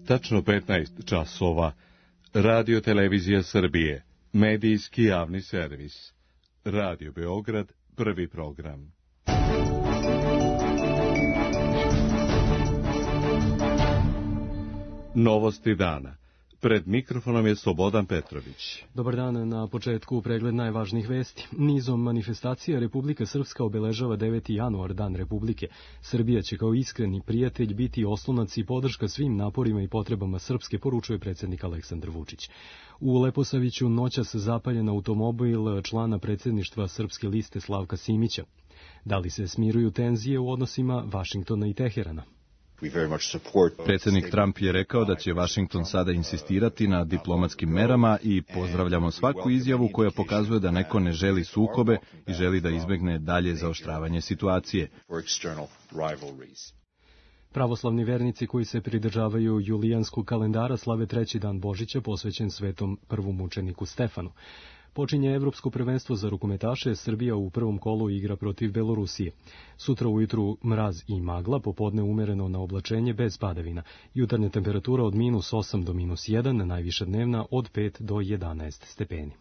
Tačno 15 časova. Radio Televizija Srbije. Medijski javni servis. Radio Beograd, prvi program. Novosti dana. Pred mikrofonom je Slobodan Petrović. Dobar dan, na početku pregled najvažnijih vesti. Nizom manifestacija Republika Srpska obeležava 9. januar, Dan Republike. Srbija će kao iskreni prijatelj biti oslonac i podrška svim naporima i potrebama Srpske, poručuje predsjednik Aleksandar Vučić. U Leposaviću noćas zapaljen automobil člana predsjedništva Srpske liste Slavka Simića. Da li se smiruju tenzije u odnosima Vašingtona i Teherana? Predsjednik Trump je rekao da će Vašington sada insistirati na diplomatskim merama i pozdravljamo svaku izjavu koja pokazuje da neko ne želi sukobe i želi da izbjegne dalje zaoštravanje situacije. Pravoslavni vernici koji se pridržavaju julijanskog kalendara slave treći dan Božića posvećen svetom prvom mučeniku Stefanu. Počinje Evropsko prvenstvo za rukometaše, Srbija u prvom kolu igra protiv Belorusije. Sutra ujutru mraz i magla, popodne umereno na oblačenje bez padavina. Jutarnja temperatura od -8 do -1, najviša dnevna od 5 do 11 stepeni.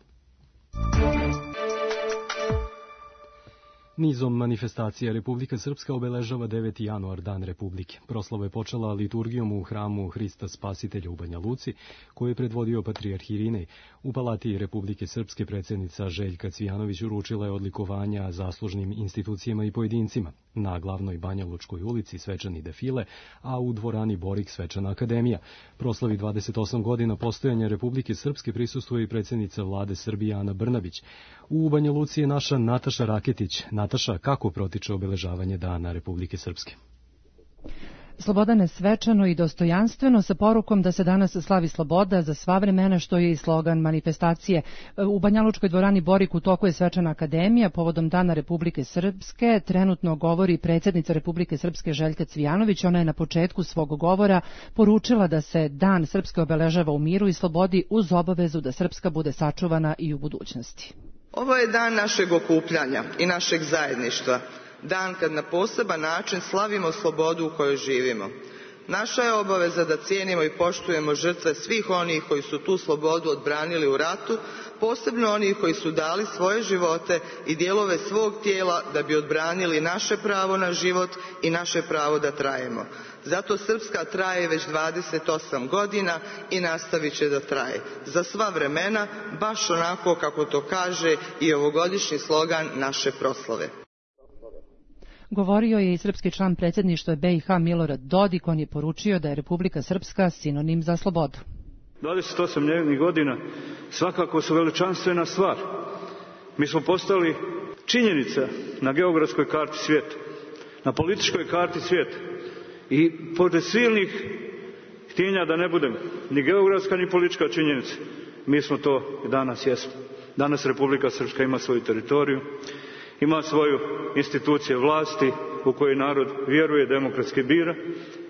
Nizom manifestacija Republika Srpska obeležava 9. januar, Dan Republike. Proslava je počela liturgijom u hramu Hrista Spasitelja u Banja Luci, koju je predvodio patrijarh Irinej. U Palati Republike Srpske predsjednica Željka Cvijanović uručila je odlikovanja zaslužnim institucijama i pojedincima. Na glavnoj Banjalučkoj ulici svečani defile, a u dvorani Borik svečana akademija. Proslavi 28 godina postojanja Republike Srpske prisustvuje i predsjednica vlade Srbije Ana Brnabić. U Banja Luci je naša Nataša Raketić. Nataša, kako protiče obeležavanje Dana Republike Srpske? Slobodane, svečano i dostojanstveno, sa porukom da se danas slavi sloboda za sva vremena, što je i slogan manifestacije. U Banjalučkoj dvorani Borik u toku je svečana akademija povodom Dana Republike Srpske. Trenutno govori predsjednica Republike Srpske Željka Cvijanović. Ona je na početku svog govora poručila da se Dan Srpske obeležava u miru i slobodi uz obavezu da Srpska bude sačuvana i u budućnosti. Ovo je dan našeg okupljanja i našeg zajedništva. Dan kad na poseban način slavimo slobodu u kojoj živimo. Naša je obaveza da cijenimo i poštujemo žrtve svih onih koji su tu slobodu odbranili u ratu, posebno onih koji su dali svoje živote i dijelove svog tijela da bi odbranili naše pravo na život i naše pravo da trajemo. Zato Srpska traje već 28 godina i nastavit će da traje. Za sva vremena, baš onako kako to kaže i ovogodišnji slogan naše proslave. Govorio je i srpski član predsjedništva BiH Milorad Dodik. On je poručio da je Republika Srpska sinonim za slobodu. 28 njenih godina svakako su veličanstvena stvar. Mi smo postali činjenica na geografskoj karti svijeta, na političkoj karti svijeta. I pored silnih htjenja da ne budem ni geografska ni politička činjenica, mi smo to i danas jesmo. Danas Republika Srpska ima svoju teritoriju, ima svoju institucije vlasti u kojoj narod vjeruje, demokratski bira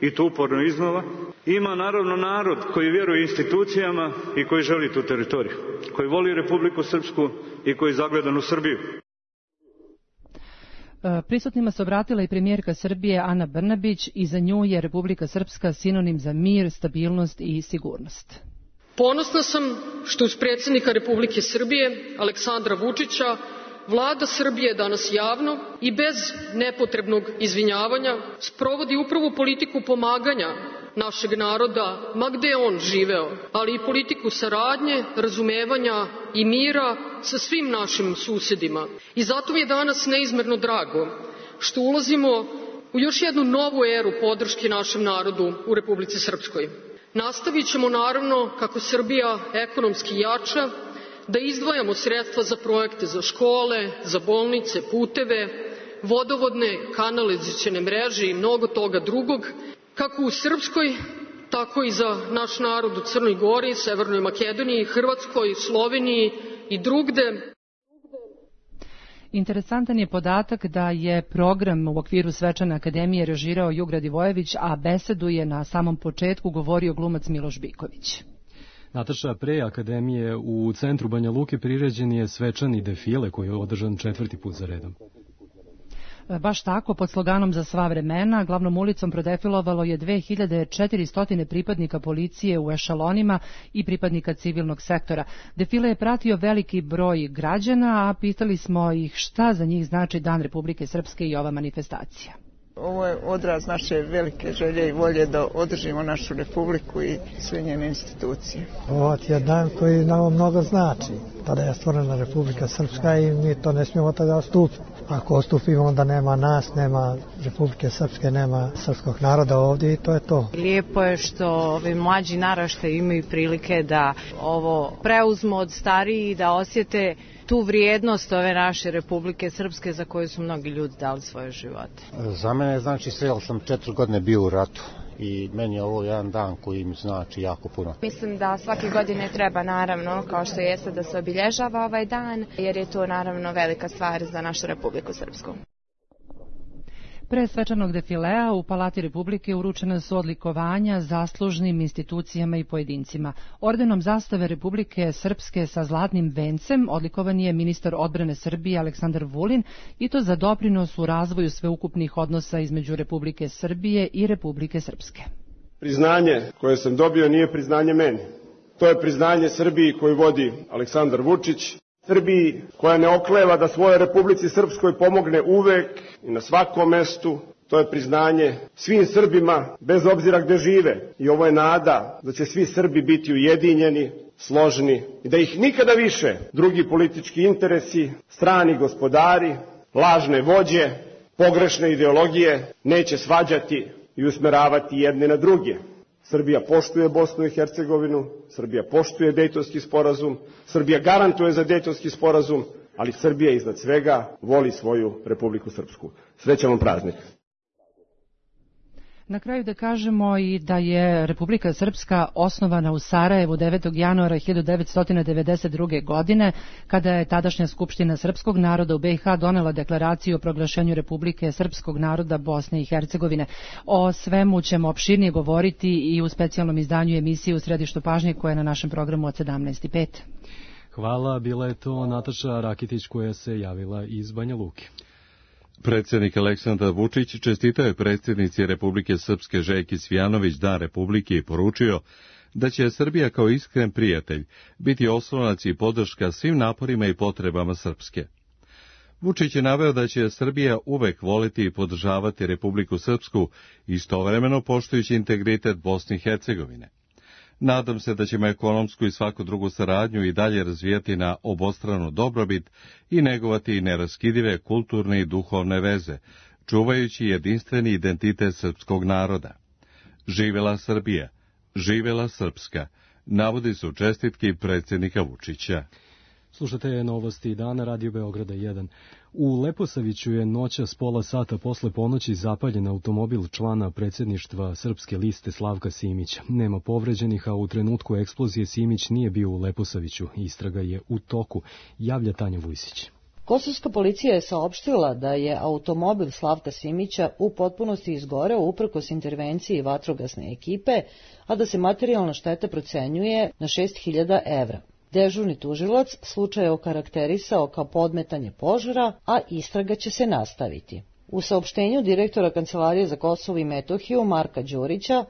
i to uporno iznova. Ima naravno narod koji vjeruje institucijama i koji želi tu teritoriju, koji voli Republiku Srpsku i koji je zagledan u Srbiju. Prisutnima se obratila i premijerka Srbije Ana Brnabić i za nju je Republika Srpska sinonim za mir, stabilnost i sigurnost. Ponosna sam što uz predsjednika Republike Srbije Aleksandra Vučića Vlada Srbije danas javno i bez nepotrebnog izvinjavanja sprovodi upravo politiku pomaganja našeg naroda, ma gde on živeo, ali i politiku saradnje, razumevanja i mira sa svim našim susjedima. I zato mi je danas neizmerno drago što ulazimo u još jednu novu eru podrške našem narodu u Republici Srpskoj. Nastavit ćemo naravno, kako Srbija ekonomski jača, da izdvajamo sredstva za projekte za škole, za bolnice, puteve, vodovodne, kanalizacione mreže i mnogo toga drugog, kako u Srpskoj, tako i za naš narod u Crnoj Gori, Severnoj Makedoniji, Hrvatskoj, Sloveniji i drugde. Interesantan je podatak da je program u okviru svečane akademije režirao Jug Radivojević, a besedu je na samom početku govorio glumac Miloš Biković. Nataša, pre akademije u centru Banja Luke priređen je svečani defile koji je održan 4. put za redom. Baš tako, pod sloganom Za sva vremena, glavnom ulicom prodefilovalo je 2400 pripadnika policije u ešalonima i pripadnika civilnog sektora. Defile je pratio veliki broj građana, a pitali smo ih šta za njih znači Dan Republike Srpske i ova manifestacija. Ovo je odraz naše velike želje i volje da održimo našu republiku i sve njene institucije. Ovo je dan koji nam mnogo znači. Tada je stvorena Republika Srpska i mi to ne smijemo tada odstupiti. Ako odstupimo, onda nema nas, nema Republike Srpske, nema srpskog naroda ovdje i to je to. Lijepo je što ovi mlađi naraštaji imaju prilike da ovo preuzmu od starijih i da osjete tu vrijednost ove naše Republike Srpske za koju su mnogi ljudi dali svoje živote. Za mene znači sve, sam 4 godine bio u ratu i meni je ovo jedan dan koji mi znači jako puno. Mislim da svake godine treba naravno, kao što jeste, da se obilježava ovaj dan, jer je to naravno velika stvar za našu Republiku Srpsku. Pre svečanog defilea u Palati Republike uručena su odlikovanja zaslužnim institucijama i pojedincima. Ordenom zastave Republike Srpske sa zlatnim vencem odlikovan je ministar odbrane Srbije Aleksandar Vulin i to za doprinos u razvoju sveukupnih odnosa između Republike Srbije i Republike Srpske. Priznanje koje sam dobio nije priznanje meni. To je priznanje Srbiji koju vodi Aleksandar Vučić, Srbiji koja ne okleva da svojoj Republici Srpskoj pomogne uvek i na svakom mestu. To je priznanje svim Srbima, bez obzira gde žive. I ovo je nada da će svi Srbi biti ujedinjeni, složni i da ih nikada više drugi politički interesi, strani gospodari, lažne vođe, pogrešne ideologije neće svađati i usmeravati jedne na druge. Srbija poštuje Bosnu i Hercegovinu, Srbija poštuje Dejtonski sporazum, Srbija garantuje za Dejtonski sporazum, ali Srbija iznad svega voli svoju Republiku Srpsku. Srećan vam praznik. Na kraju da kažemo i da je Republika Srpska osnovana u Sarajevu 9. januara 1992. godine, kada je tadašnja Skupština srpskog naroda u BiH donela deklaraciju o proglašenju Republike Srpskog naroda Bosne i Hercegovine. O svemu ćemo opširnije govoriti i u specijalnom izdanju emisije U središtu pažnje koja je na našem programu od 17:05. Hvala, bila je to Nataša Rakitić koja se javila iz Banja Luke. Predsjednik Aleksandar Vučić čestitao je predsjednici Republike Srpske Željki Cvijanović Dan Republike i poručio da će Srbija kao iskren prijatelj biti oslonac i podrška svim naporima i potrebama Srpske. Vučić je naveo da će Srbija uvek voliti i podržavati Republiku Srpsku, istovremeno poštujući integritet Bosne i Hercegovine. Nadam se da ćemo ekonomsku i svaku drugu saradnju i dalje razvijati na obostranu dobrobit i negovati neraskidive kulturne i duhovne veze, čuvajući jedinstveni identitet srpskog naroda. Živela Srbija, živela Srpska, navodi su čestitki predsjednika Vučića. Slušate novosti dana, Radio Beograda 1. U Leposaviću je noćas pola sata posle ponoći zapaljen automobil člana predsjedništva Srpske liste Slavka Simića. Nema povređenih, a u trenutku eksplozije Simić nije bio u Leposaviću. Istraga je u toku, javlja Tanja Vujsić. Kosovska policija je saopštila da je automobil Slavka Simića u potpunosti izgoreo uprkos intervenciji vatrogasne ekipe, a da se materijalna šteta procenjuje na 6.000 evra. Dežurni tužilac slučaj je okarakterisao kao podmetanje požara, a istraga će se nastaviti. U saopštenju direktora Kancelarije za Kosovo i Metohiju Marka Đurića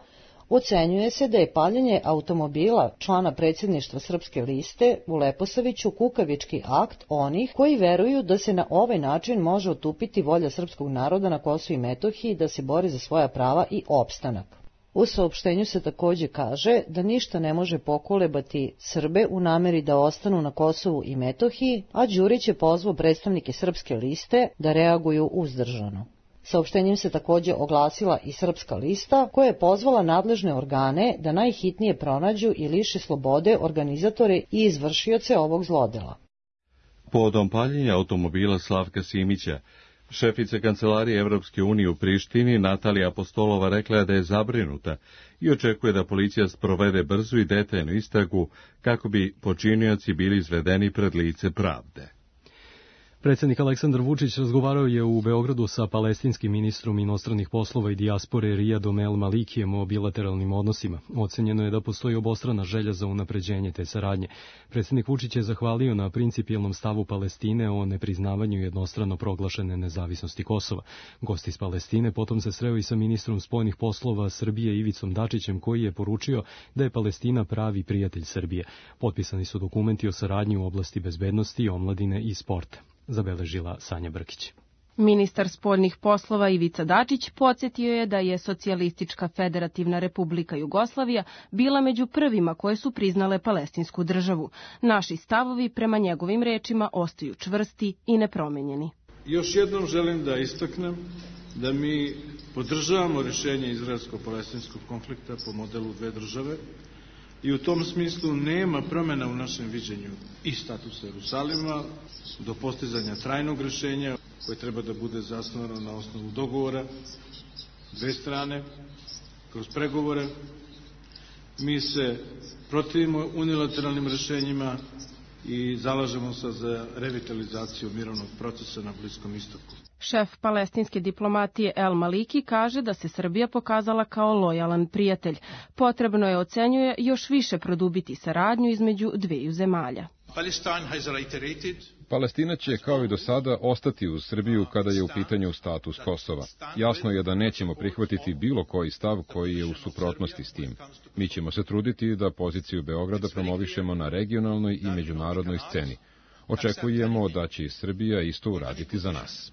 ocenjuje se da je paljenje automobila člana predsjedništva Srpske liste u Leposaviću kukavički akt onih koji veruju da se na ovaj način može otupiti volja srpskog naroda na Kosovu i Metohiji da se bori za svoja prava i opstanak. U saopštenju se također kaže da ništa ne može pokolebati Srbe u nameri da ostanu na Kosovu i Metohiji, a Đurić je pozvao predstavnike Srpske liste da reaguju uzdržano. Saopštenjem se također oglasila i Srpska lista, koja je pozvala nadležne organe da najhitnije pronađu i liše slobode organizatore i izvršioce ovog zlodela. Povodom paljenja automobila Slavka Simića, šefica Kancelarije Evropske unije u Prištini Natalija Apostolova rekla je da je zabrinuta i očekuje da policija sprovede brzu i detaljnu istragu kako bi počinioci bili izvedeni pred lice pravde. Predsjednik Aleksandar Vučić razgovarao je u Beogradu sa palestinskim ministrom inostranih poslova i dijaspore Rijadom El Malikijem o bilateralnim odnosima. Ocenjeno je da postoji obostrana želja za unapređenje te saradnje. Predsjednik Vučić je zahvalio na principijelnom stavu Palestine o nepriznavanju jednostrano proglašene nezavisnosti Kosova. Gost iz Palestine potom se sreo i sa ministrom spoljnih poslova Srbije Ivicom Dačićem, koji je poručio da je Palestina pravi prijatelj Srbije. Potpisani su dokumenti o saradnji u oblasti bezbednosti, omladine i sporta. Zabeležila Sanja Brkić. Ministar spoljnih poslova Ivica Dačić podsjetio je da je Socijalistička federativna republika Jugoslavija bila među prvima koje su priznale palestinsku državu. Naši stavovi, prema njegovim rečima, ostaju čvrsti i nepromenjeni. Još jednom želim da istaknem da mi podržavamo rješenje izraelsko-palestinskog konflikta po modelu dve države i u tom smislu nema promjena u našem viđenju i statusa Jerusalima do postizanja trajnog rješenja koje treba da bude zasnovano na osnovu dogovora dve strane kroz pregovore. Mi se protivimo unilateralnim rješenjima i zalažemo se za revitalizaciju mirovnog procesa na Bliskom istoku. Šef palestinske diplomatije El Maliki kaže da se Srbija pokazala kao lojalan prijatelj. Potrebno je, ocenjuje, još više produbiti saradnju između dveju zemalja. Palestina će, kao i do sada, ostati uz Srbiju kada je u pitanju status Kosova. Jasno je da nećemo prihvatiti bilo koji stav koji je u suprotnosti s tim. Mi ćemo se truditi da poziciju Beograda promovišemo na regionalnoj i međunarodnoj sceni. Očekujemo da će i Srbija isto uraditi za nas.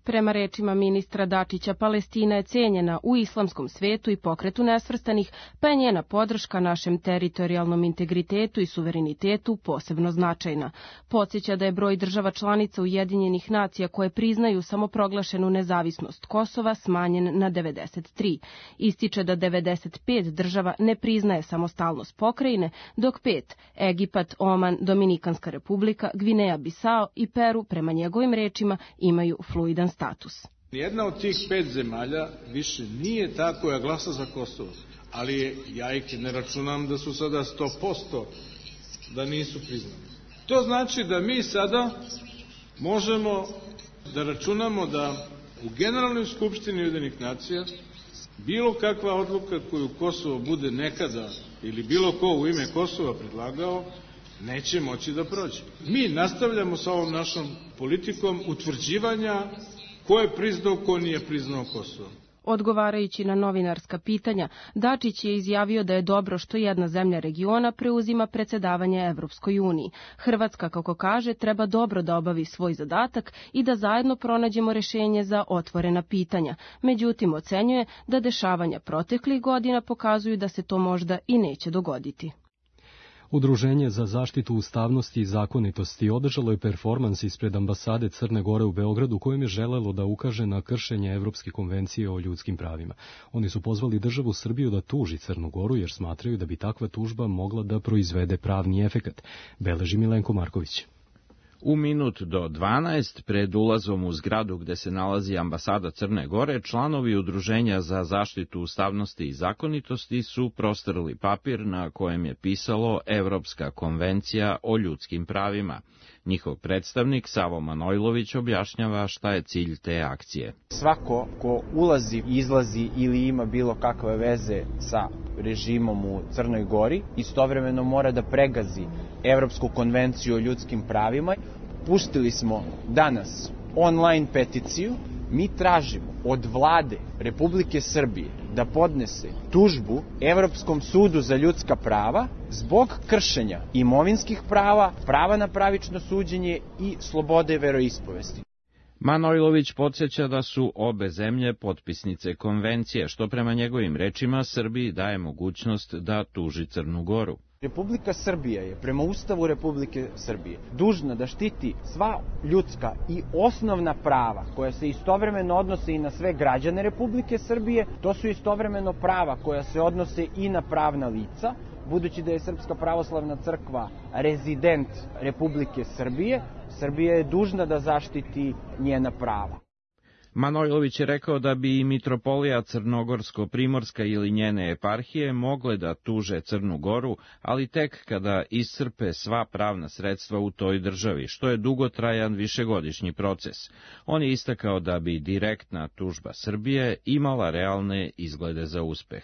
Prema rečima ministra Dačića, Palestina je cenjena u islamskom svetu i pokretu nesvrstanih, pa je njena podrška našem teritorijalnom integritetu i suverenitetu posebno značajna. Podsjeća da je broj država članica Ujedinjenih nacija koje priznaju samoproglašenu nezavisnost Kosova smanjen na 93. Ističe da 95 država ne priznaje samostalnost pokrajine, dok 5, Egipat, Oman, Dominikanska republika, Gvineja Bisao i Peru, prema njegovim rečima, imaju fluidan status. Jedna od tih 5 zemalja više nije ta koja glasa za Kosovo, ali ja ih ne računam da su sada 100% da nisu priznali. To znači da mi sada možemo da računamo da u Generalnoj skupštini Ujedinjenih nacija bilo kakva odluka koju Kosovo bude nekada ili bilo ko u ime Kosova predlagao neće moći da prođe. Mi nastavljamo sa ovom našom politikom utvrđivanja ko je priznao, ko nije priznao Kosovo. Odgovarajući na novinarska pitanja, Dačić je izjavio da je dobro što jedna zemlja regiona preuzima predsjedavanje Evropskoj uniji. Hrvatska, kako kaže, treba dobro da obavi svoj zadatak i da zajedno pronađemo rješenje za otvorena pitanja. Međutim, ocenjuje da dešavanja proteklih godina pokazuju da se to možda i neće dogoditi. Udruženje za zaštitu ustavnosti i zakonitosti održalo je performans ispred ambasade Crne Gore u Beogradu kojim je želelo da ukaže na kršenje Evropske konvencije o ljudskim pravima. Oni su pozvali državu Srbiju da tuži Crnu Goru jer smatraju da bi takva tužba mogla da proizvede pravni efekat. Beleži Milenko Marković. U minut do 12, pred ulazom u zgradu gde se nalazi ambasada Crne Gore, članovi Udruženja za zaštitu ustavnosti i zakonitosti su prostrli papir na kojem je pisalo Evropska konvencija o ljudskim pravima. Njihov predstavnik Savo Manojlović objašnjava šta je cilj te akcije. Svako ko ulazi, izlazi ili ima bilo kakve veze sa režimom u Crnoj Gori, istovremeno mora da pregazi Evropsku konvenciju o ljudskim pravima. Pustili smo danas online peticiju. Mi tražimo od vlade Republike Srbije da podnese tužbu Evropskom sudu za ljudska prava zbog kršenja imovinskih prava, prava na pravično suđenje i slobode veroispovesti. Manojlović podsjeća da su obe zemlje potpisnice konvencije, što prema njegovim rečima Srbiji daje mogućnost da tuži Crnu Goru. Republika Srbija je, prema Ustavu Republike Srbije, dužna da štiti sva ljudska i osnovna prava koja se istovremeno odnose i na sve građane Republike Srbije. To su istovremeno prava koja se odnose i na pravna lica, budući da je Srpska pravoslavna crkva rezident Republike Srbije. Srbija je dužna da zaštiti njena prava. Manojlović je rekao da bi i mitropolija Crnogorsko-Primorska ili njene eparhije mogle da tuže Crnu Goru, ali tek kada iscrpe sva pravna sredstva u toj državi, što je dugotrajan višegodišnji proces. On je istakao da bi direktna tužba Srbije imala realne izglede za uspeh.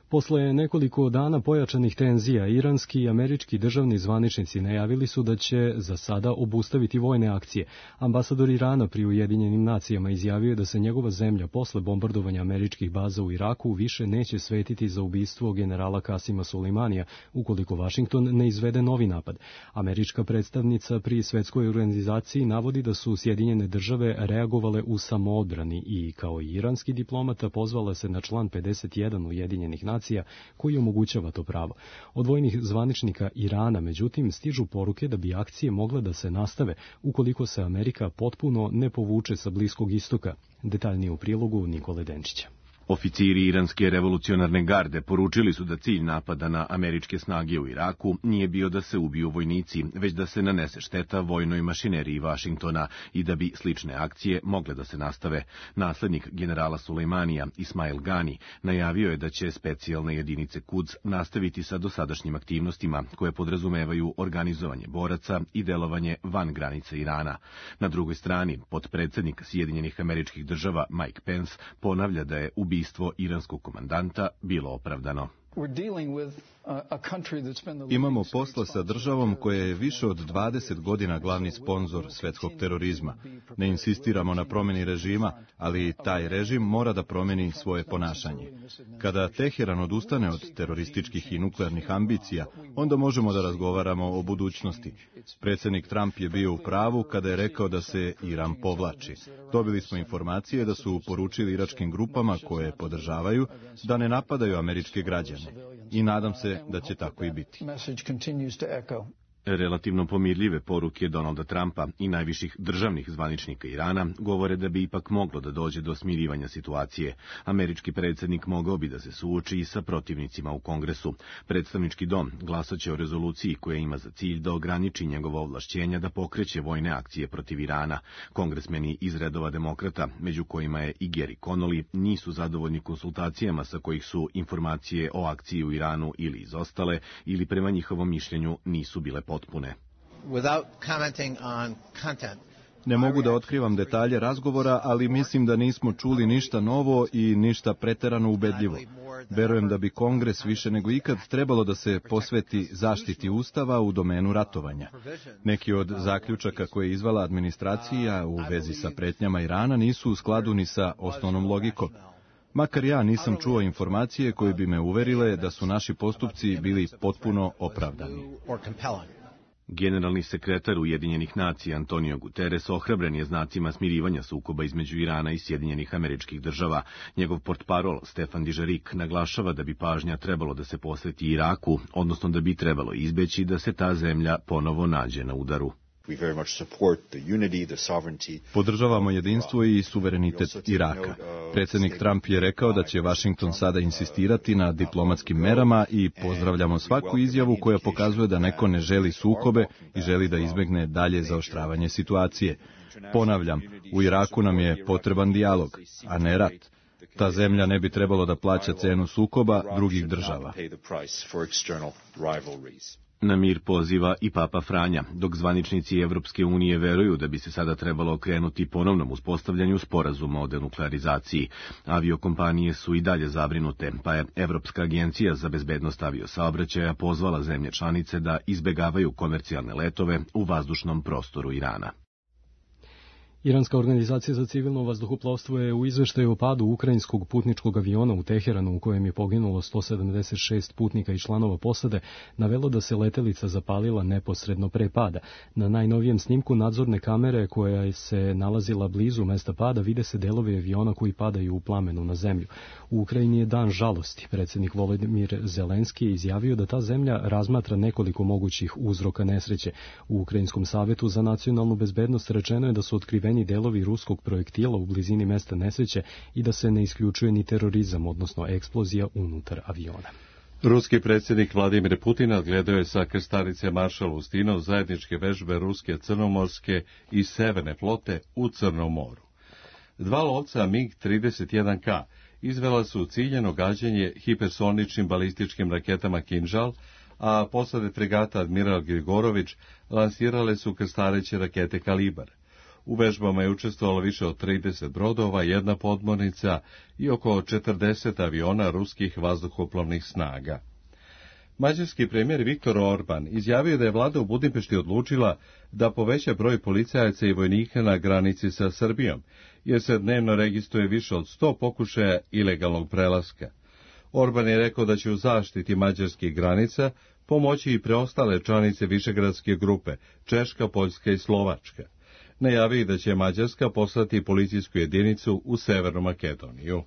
Posle nekoliko dana pojačanih tenzija, iranski i američki državni zvaničnici najavili su da će za sada obustaviti vojne akcije. Ambasador Irana pri Ujedinjenim nacijama izjavio je da se njegova zemlja posle bombardovanja američkih baza u Iraku više neće svetiti za ubistvo generala Kasima Sulejmanija ukoliko Vašington ne izvede novi napad. Američka predstavnica pri Svetskoj organizaciji navodi da su Sjedinjene države reagovale u samoodbrani i, kao i iranski diplomata, pozvala se na član 51 Ujedinjenih nacija koji omogućava to pravo. Od vojnih zvaničnika Irana, međutim, stižu poruke da bi akcije mogle da se nastave ukoliko se Amerika potpuno ne povuče sa Bliskog istoka. Detaljnije u prilogu Nikole Denčića. Oficiri iranske revolucionarne garde poručili su da cilj napada na američke snage u Iraku nije bio da se ubiju vojnici, već da se nanese šteta vojnoj mašineriji Vašingtona i da bi slične akcije mogle da se nastave. Naslednik generala Sulejmanija, Ismail Gani, najavio je da će specijalne jedinice Quds nastaviti sa dosadašnjim aktivnostima koje podrazumevaju organizovanje boraca i delovanje van granica Irana. Na drugoj strani, potpredsednik Sjedinjenih Američkih Država Mike Pence ponavlja da je ubistvo iranskog komandanta bilo opravdano. Imamo posla sa državom koja je više od 20 godina glavni sponzor svetskog terorizma. Ne insistiramo na promjeni režima, ali taj režim mora da promjeni svoje ponašanje. Kada Teheran odustane od terorističkih i nuklearnih ambicija, onda možemo da razgovaramo o budućnosti. Predsjednik Trump je bio u pravu kada je rekao da se Iran povlači. Dobili smo informacije da su poručili iračkim grupama koje podržavaju da ne napadaju američke građane. I nadam se da će tako i biti. Relativno pomirljive poruke Donalda Trumpa i najviših državnih zvaničnika Irana govore da bi ipak moglo da dođe do smirivanja situacije. Američki predsjednik mogao bi da se suoči i sa protivnicima u Kongresu. Predstavnički dom glasaće o rezoluciji koja ima za cilj da ograniči njegovo ovlašćenja da pokreće vojne akcije protiv Irana. Kongresmeni iz redova demokrata, među kojima je i Gary Connolly, nisu zadovoljni konsultacijama sa kojih su informacije o akciji u Iranu ili izostale ili prema njihovom mišljenju nisu bile potpune. Ne mogu da otkrivam detalje razgovora, ali mislim da nismo čuli ništa novo i ništa preterano ubedljivo. Verujem da bi Kongres više nego ikad trebalo da se posveti zaštiti Ustava u domenu ratovanja. Neki od zaključaka koje je izvala administracija u vezi sa pretnjama Irana nisu u skladu ni sa osnovnom logikom. Makar ja nisam čuo informacije koje bi me uverile da su naši postupci bili potpuno opravdani. Generalni sekretar Ujedinjenih nacija Antonio Guterres ohrabren je znacima smirivanja sukoba između Irana i Sjedinjenih Američkih Država. Njegov portparol Stefan Dižarik naglašava da bi pažnja trebalo da se posveti Iraku, odnosno da bi trebalo izbeći da se ta zemlja ponovo nađe na udaru. Podržavamo jedinstvo i suverenitet Iraka. Predsjednik Trump je rekao da će Vašington sada insistirati na diplomatskim merama i pozdravljamo svaku izjavu koja pokazuje da neko ne želi sukobe i želi da izbegne dalje zaoštravanje situacije. Ponavljam, u Iraku nam je potreban dijalog, a ne rat. Ta zemlja ne bi trebalo da plaća cenu sukoba drugih država. Na mir poziva i Papa Franja, dok zvaničnici Evropske unije veruju da bi se sada trebalo okrenuti ponovnom uspostavljanju sporazuma o denuklearizaciji. Aviokompanije su i dalje zabrinute, pa je Evropska agencija za bezbednost aviosaobraćaja pozvala zemlje članice da izbegavaju komercijalne letove u vazdušnom prostoru Irana. Iranska organizacija za civilno vazduhoplovstvo je u izveštaju o padu ukrajinskog putničkog aviona u Teheranu, u kojem je poginulo 176 putnika i članova posade, navelo da se letelica zapalila neposredno pre pada. Na najnovijem snimku nadzorne kamere koja se nalazila blizu mesta pada vide se delovi aviona koji padaju u plamenu na zemlju. U Ukrajini je dan žalosti. Predsjednik Volodymyr Zelenski je izjavio da ta zemlja razmatra nekoliko mogućih uzroka nesreće. U Ukrajinskom savetu za nacionalnu bezbednost rečeno je da su otkriveni delovi ruskog projektila u blizini mesta nesreće i da se ne isključuje ni terorizam, odnosno eksplozija unutar aviona. Ruski predsjednik Vladimir Putin odgledao je sa krstarice Maršal Ustinov zajedničke vežbe ruske, crnomorske i severne flote u Crnom moru. 2 lovca MiG-31K izvela su ciljeno gađanje hipersoničnim balističkim raketama Kinžal, a posade fregata Admiral Grigorović lansirale su krstareće rakete Kalibar. U vežbama je učestvovalo više od 30 brodova, 1 podmornica i oko 40 aviona ruskih vazduhoplovnih snaga. Mađarski premijer Viktor Orban izjavio da je vlada u Budimpešti odlučila da poveća broj policajaca i vojnika na granici sa Srbijom, jer se dnevno registruje više od 100 pokušaja ilegalnog prelaska. Orban je rekao da će u zaštiti mađarskih granica pomoći i preostale članice Višegradske grupe, Češka, Poljska i Slovačka. Najavio da će Mađarska poslati policijsku jedinicu u Severnu Makedoniju.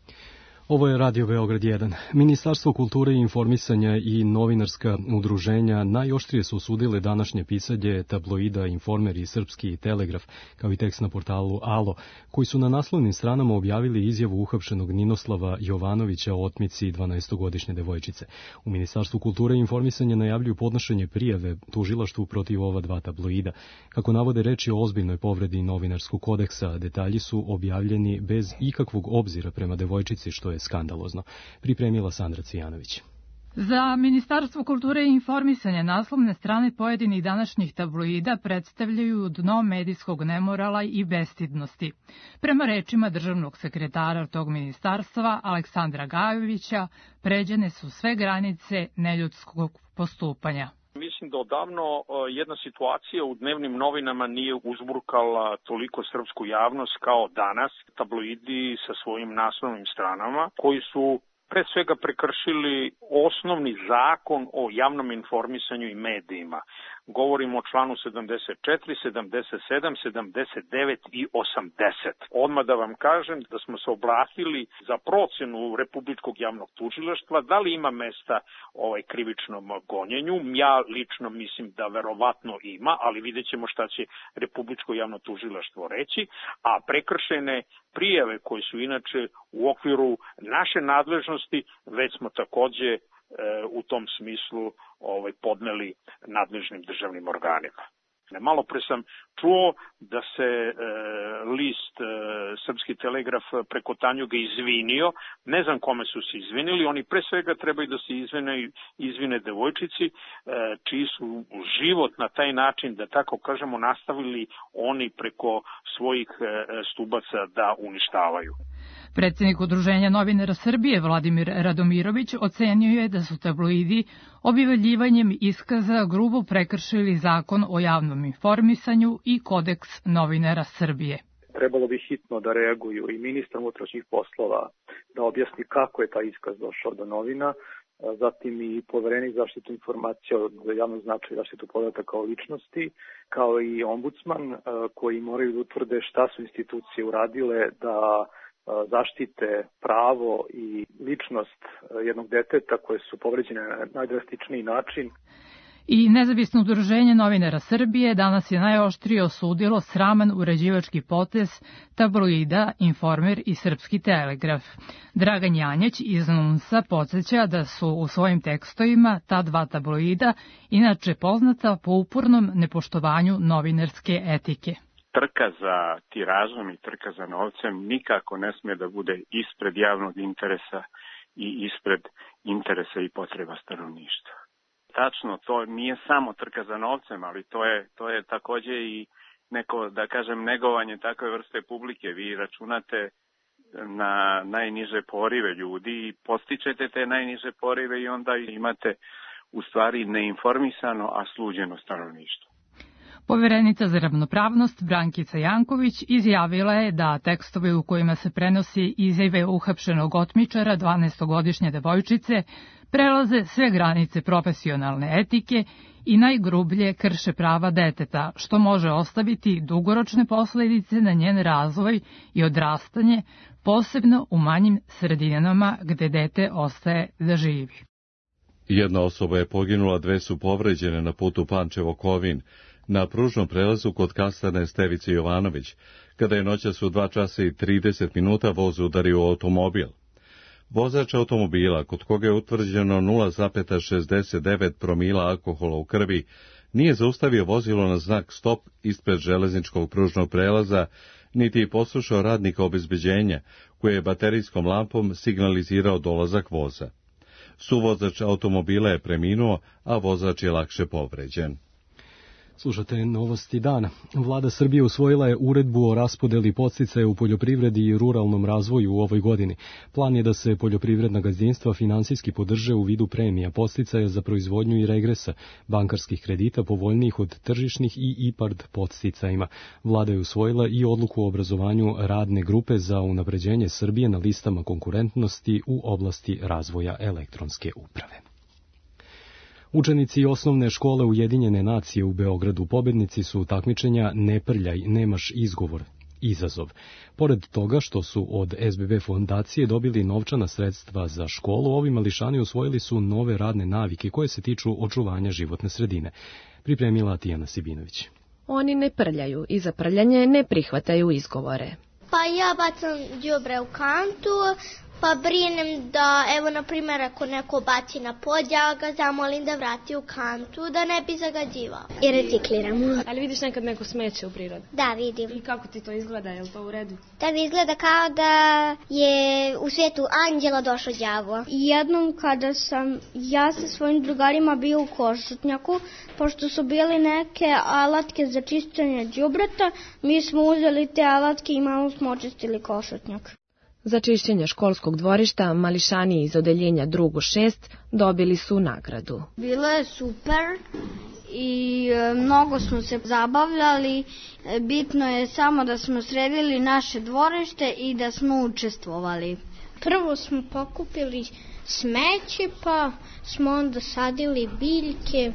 Ovo je Radio Beograd 1. Ministarstvo kulture i informisanja i novinarska udruženja najoštrije su osudile današnje pisanje tabloida Informer i Srpski telegraf, kao i tekst na portalu Alo, koji su na naslovnim stranama objavili izjavu uhapšenog Ninoslava Jovanovića o otmici 12-godišnje devojčice. U Ministarstvu kulture i informisanja najavljuju podnošenje prijave tužilaštvu protiv ova 2 tabloida. Kako navode, reč je o ozbiljnoj povredi novinarskog kodeksa, detalji su objavljeni bez ikakvog obzira prema devojčici, što je skandalozno. Pripremila Sandra Cvijanović. Za Ministarstvo kulture i informisanja naslovne strane pojedinih današnjih tabloida predstavljaju dno medijskog nemorala i bestidnosti. Prema rečima državnog sekretara tog ministarstva, Aleksandra Gajovića, pređene su sve granice neljudskog postupanja. Mislim da odavno jedna situacija u dnevnim novinama nije uzburkala toliko srpsku javnost kao danas tabloidi sa svojim naslovnim stranama, koji su pre svega prekršili osnovni zakon o javnom informisanju i medijima. Govorimo o članu 74, 77, 79 i 80. Odmah da vam kažem da smo se obratili za procenu Republičkog javnog tužilaštva, da li ima mesta krivičnom gonjenju. Ja lično mislim da verovatno ima, ali vidjet ćemo šta će Republičko javno tužilaštvo reći, a prekršene prijave koje su inače u okviru naše nadležnosti već smo takođe u tom smislu podneli nadležnim državnim organima. Malo pre sam čuo da se list Srpski telegraf preko Tanjuga izvinio. Ne znam kome su se izvinili. Oni pre svega trebaju da se izvine devojčici, čiji su život na taj način, da tako kažemo, nastavili oni preko svojih stubaca da uništavaju. Predsjednik Udruženja novinara Srbije Vladimir Radomirović ocenio je da su tabloidi objavljivanjem iskaza grubo prekršili zakon o javnom informisanju i kodeks novinara Srbije. Trebalo bi hitno da reaguju i ministar unutrašnjih poslova da objasni kako je taj iskaz došao do novina, zatim i Poverenik zaštitu informacija od javnog značaja i zaštitu podataka o ličnosti, kao i ombudsman koji moraju da utvrde šta su institucije uradile da zaštite pravo i ličnost jednog deteta koje su povređene na najdrastičniji način. I Nezavisno udruženje novinara Srbije danas je najoštrije osudilo sraman uređivački potez tabloida Informer i Srpski telegraf. Dragan Janjać iz NUNS-a podsjeća da su u svojim tekstovima ta 2 tabloida inače poznata po upornom nepoštovanju novinarske etike. Trka za tiražom i trka za novcem nikako ne smije da bude ispred javnog interesa i ispred interesa i potreba stanovništva. Tačno, to nije samo trka za novcem, ali to je takođe i neko, da kažem, negovanje takve vrste publike. Vi računate na najniže porive ljudi i postičete te najniže porive i onda imate u stvari neinformisano, a sluđeno stanovništvo. Poverenica za ravnopravnost Brankica Janković izjavila je da tekstovi u kojima se prenosi izjave uhapšenog otmičara 12-godišnje devojčice prelaze sve granice profesionalne etike i najgrublje krše prava deteta, što može ostaviti dugoročne posledice na njen razvoj i odrastanje, posebno u manjim sredinama gde dete ostaje da živi. Jedna osoba je poginula, 2 su povređene na putu Pančevo-Kovin, na pružnom prelazu kod kasarne Stevice Jovanović, kada je noćas u 2 časa i 30 minuta voz udario u automobil. Vozač automobila, kod koga je utvrđeno 0,69 promila alkohola u krvi, nije zaustavio vozilo na znak stop ispred železničkog pružnog prelaza, niti je poslušao radnika obezbeđenja, koji je baterijskom lampom signalizirao dolazak voza. Suvozač automobila je preminuo, a vozač je lakše povređen. Slušate novosti dana. Vlada Srbije usvojila je uredbu o raspodeli podsticaja u poljoprivredi i ruralnom razvoju u ovoj godini. Plan je da se poljoprivredna gazdinstva finansijski podrže u vidu premija podsticaja za proizvodnju i regresa, bankarskih kredita povoljnijih od tržišnih i IPARD podsticajima. Vlada je usvojila i odluku o obrazovanju radne grupe za unapređenje Srbije na listama konkurentnosti u oblasti razvoja elektronske uprave. Učenici osnovne škole Ujedinjene nacije u Beogradu pobednici su takmičenja Ne prljaj, nemaš izgovor, izazov. Pored toga što su od SBB fondacije dobili novčana sredstva za školu, ovi mališani usvojili su nove radne navike koje se tiču očuvanja životne sredine. Pripremila Tijana Sibinović. Oni ne prljaju i za prljanje ne prihvataju izgovore. Pa ja bacam đubre u kantu, pa brinem da, evo, na primjer, ako neko baci na pod, ja ga zamolim da vrati u kantu, da ne bi zagađivao. I recikliramo. Ali vidiš nekad neko smeće u prirodi? Da, vidim. I kako ti to izgleda? Je li to u redu? Da mi izgleda kao da je u svijetu anđela došao đavo. Jednom kada sam ja sa svojim drugarima bio u Košutnjaku, pošto su bili neke alatke za čišćenje đubreta, mi smo uzeli te alatke i malo smo očistili Košutnjak. Za čišćenje školskog dvorišta mališani iz odeljenja drugo 6 dobili su nagradu. Bilo je super i mnogo smo se zabavljali. Bitno je samo da smo sredili naše dvorište i da smo učestvovali. Prvo smo pokupili smeće, pa smo onda sadili biljke.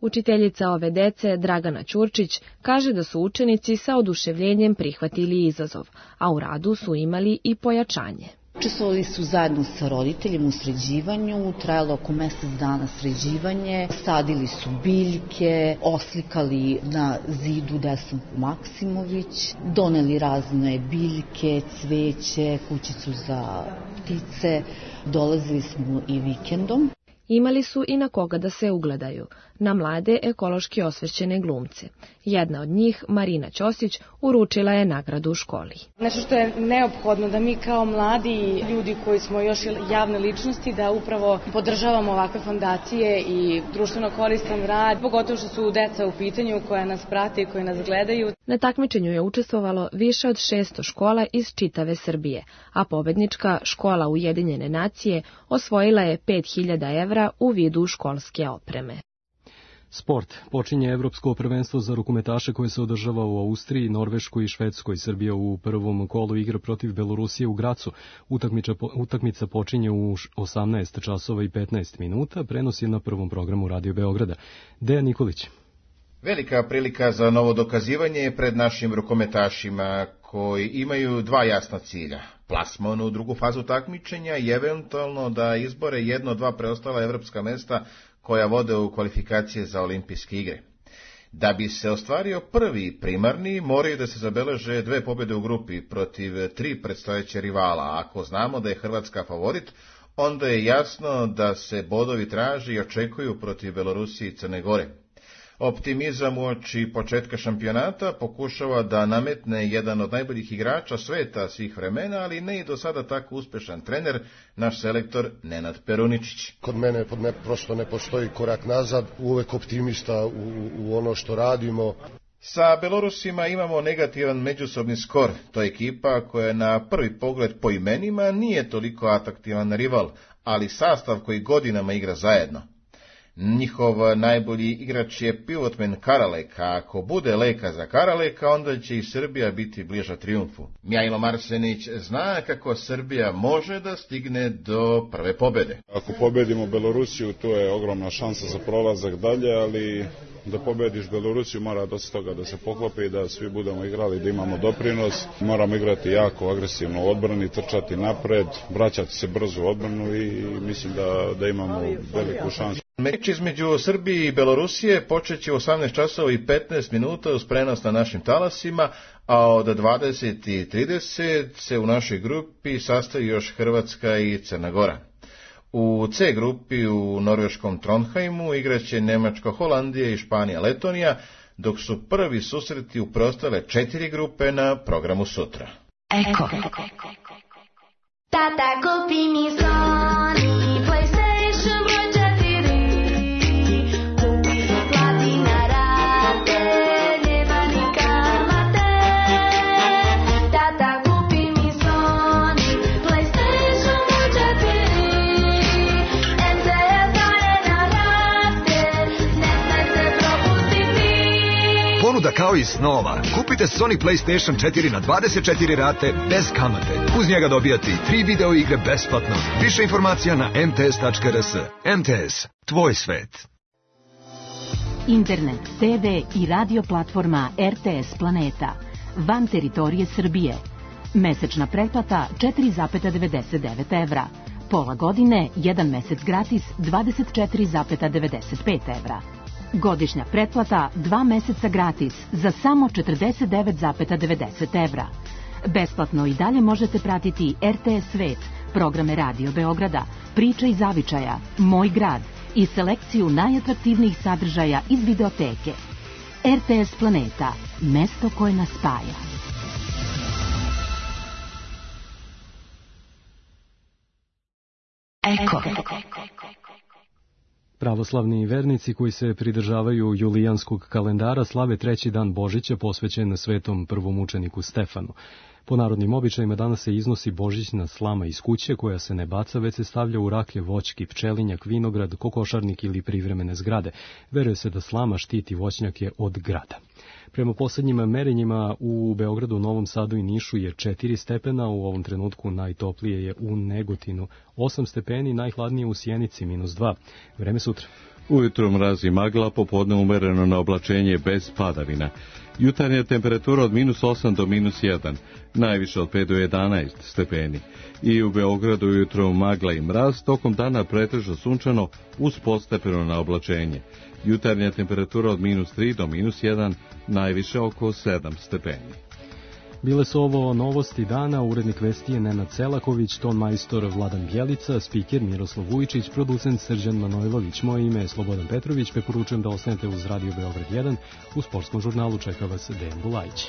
Učiteljica ove dece, Dragana Ćurčić, kaže da su učenici sa oduševljenjem prihvatili izazov, a u radu su imali i pojačanje. Učestvovali su zajedno sa roditeljima u sređivanju, trajalo oko mjesec dana sređivanje, sadili su biljke, oslikali na zidu Desanku Maksimović, doneli razne biljke, cveće, kućicu za ptice, dolazili smo i vikendom. Imali su i na koga da se ugledaju, na mlade ekološki osvešćene glumce. Jedna od njih, Marina Ćosić, uručila je nagradu u školi. Nešto što je neophodno da mi kao mladi ljudi koji smo još javne ličnosti, da upravo podržavamo ovakve fondacije i društveno koristan rad, pogotovo što su deca u pitanju koja nas prate i koji nas gledaju. Na takmičenju je učestvovalo više od 600 škola iz čitave Srbije, a pobednička škola Ujedinjene nacije osvojila je 5000 evra u vidu školske opreme. Sport. Počinje Evropsko prvenstvo za rukometaše koje se održava u Austriji, Norveškoj i Švedskoj. Srbija u prvom kolu igra protiv Belorusije u Gracu. Utakmica počinje u 18 časova i 15 minuta. Prenos je na prvom programu Radio Beograda. Dejan Nikolić. Velika prilika za novo dokazivanje je pred našim rukometašima koji imaju dva jasna cilja. Plasman u drugu fazu takmičenja i eventualno da izbore 1-2 preostala evropska mesta koja vode u kvalifikacije za olimpijske igre. Da bi se ostvario prvi primarni, moraju da se zabeleže 2 pobjede u grupi protiv 3 predstojeće rivala. Ako znamo da je Hrvatska favorit, onda je jasno da se bodovi traži i očekuju protiv Belorusije i Crne Gore. Optimizam uoči početka šampionata pokušava da nametne jedan od najboljih igrača sveta svih vremena, ali ne i do sada tako uspešan trener, naš selektor Nenad Peruničić. Kod mene prosto ne postoji korak nazad, uvek optimista u ono što radimo. Sa Belorusima imamo negativan međusobni skor. To je ekipa koja na prvi pogled po imenima nije toliko atraktivan rival, ali sastav koji godinama igra zajedno. Njihov najbolji igrač je pivotmen Karaleka, a ako bude leka za Karaleka, onda će i Srbija biti bliža trijumfu. Mihajlo Marsenić zna kako Srbija može da stigne do prve pobede. Ako pobedimo Belorusiju, to je ogromna šansa za prolazak dalje, ali da pobediš Belorusiju mora dosta toga da se poklopi, da svi budemo igrali, da imamo doprinos. Moramo igrati jako agresivno u odbrani, trčati napred, vraćati se brzo u odbranu i mislim da imamo veliku šansu. Meč između Srbije i Belorusije počeće u 18 časova i 15 minuta uz prenos na našim talasima, a od 20:30 se u našoj grupi sastoji još Hrvatska i Crna Gora. U C grupi u norveškom Trondheimu igraće Nemačka, Holandija i Španija, Letonija, dok su prvi susreti u preostale 4 grupe na programu sutra. Eko. Tata, kupi mi Sony PlayStation broj 4. Kupi mi plati na rate, nema ni kamate. Tata, kupi mi Sony PlayStation broj 4. MTS daje na rate, ne smej se propustiti. Ponuda kao i snova. Kupite Sony PlayStation 4 na 24 rate bez kamate. Uz njega dobijate i 3 video igre besplatno. Više informacija na mts.rs. MTS, tvoj svet. Internet, TV i radio platforma RTS Planeta. Van teritorije Srbije. Mesečna pretplata 4,99 evra. Pola godine, 1 mesec gratis 24,95 evra. Godišnja pretplata 2 meseca gratis za samo 49,90 evra. Besplatno i dalje možete pratiti RTS Svet, programe Radio Beograda, Priče iz zavičaja, Moj grad i selekciju najatraktivnijih sadržaja iz videoteke. RTS Planeta, mesto koje nas spaja. Eko. Pravoslavni vernici koji se pridržavaju julijanskog kalendara slave 3. dan Božića posvećen svetom prvomučeniku Stefanu. Po narodnim običajima danas se iznosi božićna slama iz kuće koja se ne baca, već se stavlja u raklje, voćki, pčelinjak, vinograd, kokošarnik ili privremene zgrade. Veruje se da slama štiti voćnjake od grada. Prema poslednjim merenjima u Beogradu, Novom Sadu i Nišu je 4 stepena, u ovom trenutku najtoplije je u Negotinu 8 stepeni, najhladnije u Sjenici -2. Vreme sutra. Ujutro mraz i magla, popodne umereno na oblačenje bez padavina. Jutarnja temperatura od -8 do -1, najviše od 5 do 11 stepeni. I u Beogradu ujutro magla i mraz, tokom dana pretežno sunčano uz postepeno na oblačenje. Jutarnja temperatura od -3 do -1, najviše oko 7 stepeni. Bile su ovo novosti dana, urednik vesti je Nenad Selaković, ton majstor Vladan Bjelica, spiker Miroslav Vujičić, producent Srđan Manojlović. Moje ime je Slobodan Petrović, preporučujem da ostanete uz Radio Beograd 1. U sportskom žurnalu čeka vas Dejan Bulajić.